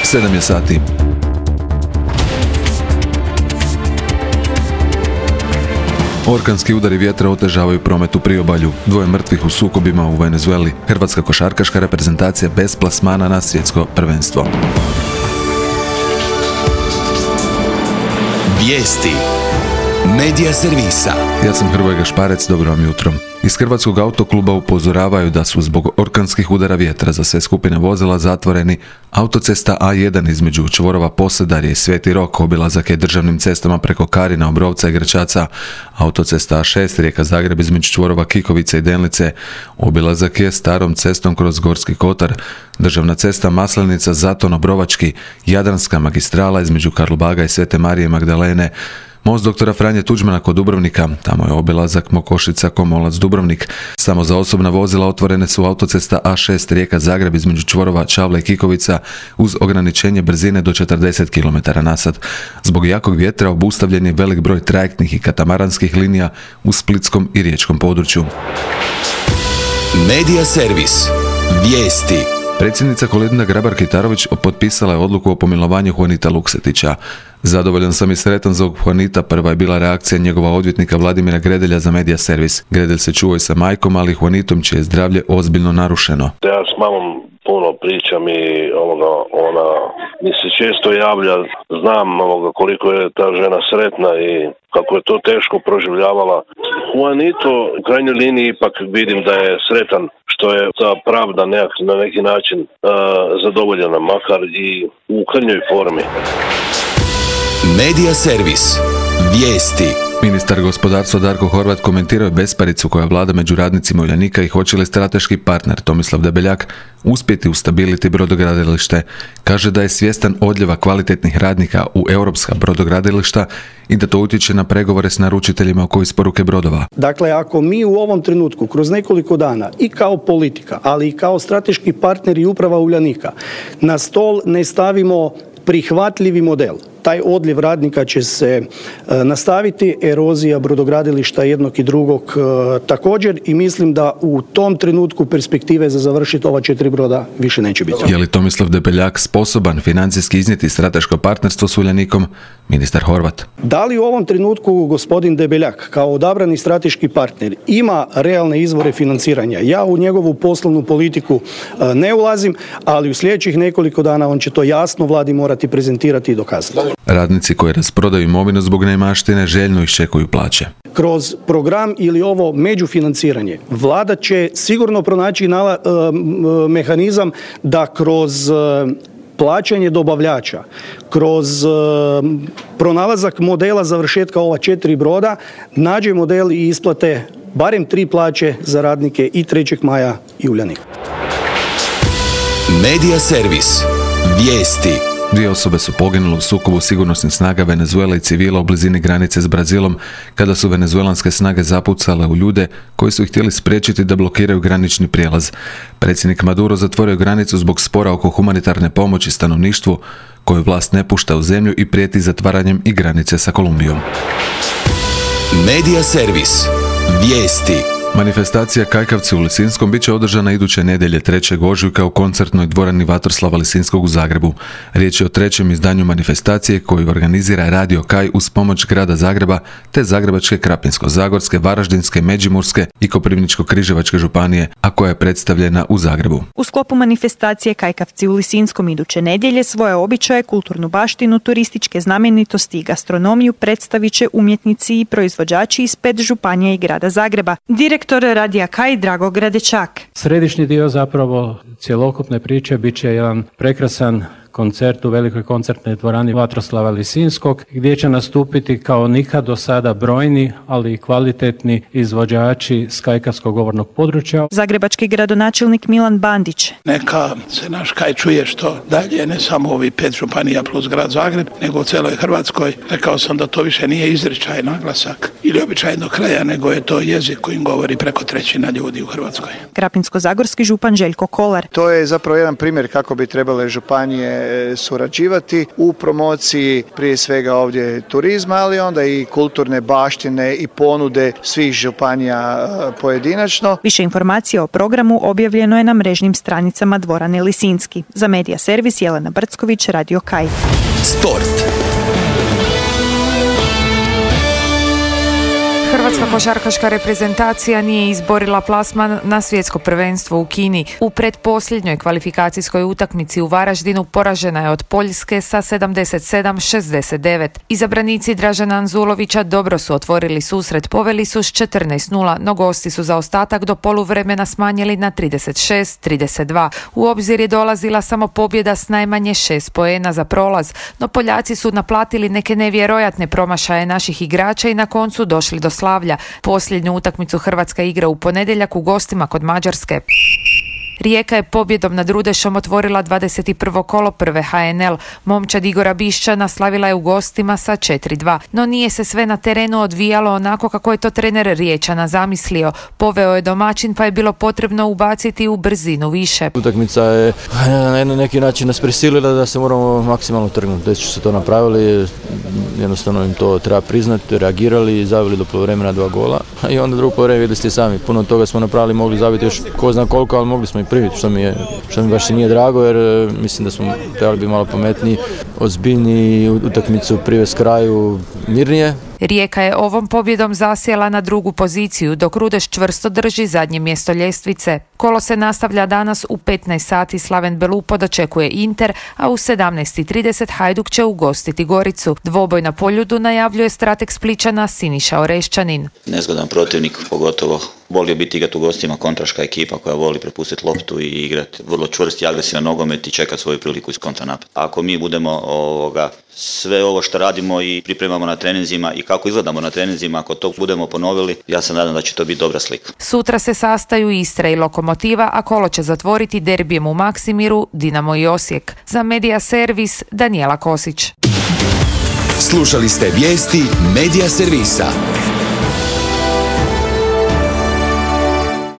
7 je sati. Orkanski udari vjetra otežavaju promet u priobalju. 2 mrtvih u sukobima u Venezueli. Hrvatska košarkaška reprezentacija bez plasmana na svjetsko prvenstvo. Vijesti Medija servisa. Ja sam Hrvoje Gašparec, dobro vam jutro. Iz Hrvatskog autokluba upozoravaju da su zbog orkanskih udara vjetra za sve skupine vozila zatvoreni autocesta A1 između čvorova Posedarje i Sveti Rok, obilazak je državnim cestama preko Karina, Obrovca i Gračaca, autocesta A6 Rijeka-Zagreb između čvorova Kikovice i Delnice, obilazak je starom cestom kroz Gorski Kotar, državna cesta Maslenica-Zaton-Obrovački, Jadranska magistrala između Karlobaga i Svete Marije Magdalene, most doktora Franje Tuđmana kod Dubrovnika, tamo je obilazak Mokošica-Komolac-Dubrovnik. Samo za osobna vozila otvorene su autocesta A6 Rijeka-Zagreb između čvorova Čavle i Kikovica uz ograničenje brzine do 40 km/h. Zbog jakog vjetra obustavljen je velik broj trajektnih i katamaranskih linija u splitskom i riječkom području. Medija servis. Vijesti. Predsjednica Kolinda Grabar-Kitarović potpisala je odluku o pomilovanju Juanita Luksetića. Zadovoljan sam i sretan za Juanita, prva je bila reakcija njegova odvjetnika Vladimira Gredelja za Medija servis. Gredelj se čuva i sa majkom, ali Juanitom čije je zdravlje ozbiljno narušeno. Ja s mamom puno pričam i ona mi se često javlja, znam koliko je ta žena sretna i kako je to teško proživljavala. Juanito u krajnjoj liniji ipak vidim da je sretan što je ta pravda na neki način zadovoljena, makar i u krnjoj formi. Medija servis. Vijesti. Ministar gospodarstva Darko Horvat komentirao je besparicu koja vlada među radnicima Uljanika i hoće li strateški partner Tomislav Debeljak uspjeti ustabiliti brodogradilište. Kaže da je svjestan odljeva kvalitetnih radnika u europska brodogradilišta i da to utječe na pregovore s naručiteljima oko isporuke brodova. Dakle, ako mi u ovom trenutku kroz nekoliko dana i kao politika, ali i kao strateški partner i uprava Uljanika na stol ne stavimo prihvatljivi model, taj odljev radnika će se nastaviti, erozija brodogradilišta jednog i drugog također, i mislim da u tom trenutku perspektive za završiti ova 4 broda više neće biti. Je li Tomislav Debeljak sposoban financijski iznijeti strateško partnerstvo s Uljanikom? Ministar Horvat. Da li u ovom trenutku gospodin Debeljak kao odabrani strateški partner ima realne izvore financiranja? Ja u njegovu poslovnu politiku ne ulazim, ali u sljedećih nekoliko dana on će to jasno vladi morati prezentirati i dokazati. Radnici koji rasprodaju imovinu zbog neimaštine željno iščekuju plaće. Kroz program ili ovo međufinanciranje vlada će sigurno pronaći mehanizam da kroz plaćanje dobavljača, kroz pronalazak modela završetka ova 4 broda nađe model i isplate barem 3 plaće za radnike i 3. maja i Uljanika. Medija servis. Vijesti. 2 osobe su poginule u sukobu sigurnosnih snaga Venezuele i civila u blizini granice s Brazilom kada su venezuelanske snage zapucale u ljude koji su ih htjeli spriječiti da blokiraju granični prijelaz. Predsjednik Maduro zatvorio granicu zbog spora oko humanitarne pomoći stanovništvu koju vlast ne pušta u zemlju i prijeti zatvaranjem i granice sa Kolumbijom. Medija servis. Vijesti. Manifestacija Kajkavci u Lisinskom bit će održana iduće nedjelje 3. ožujka u koncertnoj dvorani Vatroslava Lisinskog u Zagrebu. Riječ je o 3. izdanju manifestacije koju organizira Radio Kaj uz pomoć grada Zagreba te Zagrebačke, Krapinsko-zagorske, Varaždinske, Međimurske i Koprivničko-križevačke županije, a koja je predstavljena u Zagrebu. U sklopu manifestacije Kajkavci u Lisinskom iduće nedjelje svoje običaje, kulturnu baštinu, turističke znamenitosti i gastronomiju predstavit će umjetnici i proizvođači iz 5 županija i grada Zagreba. Direktor Radija Kaj Drago Gradečak. Središnji dio zapravo cjelokupne priče bit će jedan prekrasan koncert u velikoj koncertnoj dvorani Vatroslava Lisinskog, gdje će nastupiti kao nikad do sada brojni, ali i kvalitetni izvođači s kajkavskog govornog područja. Zagrebački gradonačelnik Milan Bandić. Neka se naš Kaj čuje što dalje, ne samo ovih 5 županija plus grad Zagreb, nego u cijeloj Hrvatskoj. Rekao sam da to više nije izričaj, naglasak ili običaj do kraja, nego je to jezik kojim govori preko 1/3 ljudi u Hrvatskoj. Krapinsko-zagorski župan Željko Kolar. To je zapravo jedan primjer kako bi trebale županije surađivati u promociji prije svega ovdje turizma, ali onda i kulturne baštine i ponude svih županija pojedinačno. Više informacija o programu objavljeno je na mrežnim stranicama dvorane Lisinski. Za Medija servis Jelena Brcković, Radio Kaj. Sport. Hrvatska košarkaška reprezentacija nije izborila plasman na svjetsko prvenstvo u Kini. U pretposljednjoj kvalifikacijskoj utakmici u Varaždinu poražena je od Poljske sa 77-69. Izabranici Dražena Anzulovića dobro su otvorili susret, poveli su s 14-0, no gosti su za ostatak do poluvremena smanjili na 36-32. U obzir je dolazila samo pobjeda s najmanje 6 poena za prolaz, no Poljaci su naplatili neke nevjerojatne promašaje naših igrača i na koncu došli do slavlja. Posljednju utakmicu Hrvatska igra u ponedjeljak u gostima kod Mađarske. Rijeka je pobjedom nad Rudešom otvorila 21. kolo prve HNL. Momčad Igora Bišćana slavila je u gostima sa 4-2. No nije se sve na terenu odvijalo onako kako je to trener Riječana zamislio. Poveo je domaćin pa je bilo potrebno ubaciti u brzinu više. Utakmica je na neki način nas prisilila da se moramo maksimalno trgnuti. Već su to napravili, jednostavno im to treba priznati, reagirali, zavili do poluvremena 2 gola. I onda drugo poluvreme vidjeli ste sami. Puno toga smo napravili, mogli zabiti još ko zna koliko, ali mogli smo i priviti, što mi baš i nije drago, jer mislim da smo trebali biti malo pametniji, ozbiljniji, utakmicu privesti kraju mirnije. Rijeka je ovom pobjedom zasjela na drugu poziciju, dok Rudeš čvrsto drži zadnje mjesto ljestvice. Kolo se nastavlja danas u 15 sati, Slaven Belupo dočekuje Inter, a u 17:30 Hajduk će ugostiti Goricu. Dvoboj na Poljudu najavljuje strateg Splićana Siniša Orešćanin. Nezgodan protivnik, pogotovo volio biti igrati u gostima, kontraška ekipa koja voli prepustiti loptu i igrati vrlo čvrst i agresivan nogomet i čekati svoju priliku iz kontranapad. Ako mi budemo sve ovo što radimo i pripremamo na treninzima i kako izgledamo na treninzima, ako to budemo ponovili, ja se nadam da će to biti dobra slika. Sutra se sastaju Istra i Lokomotiva, a kolo će zatvoriti derbijem u Maksimiru, Dinamo i Osijek. Za Medija servis Danijela Kosić. Slušali ste vijesti Medija servisa.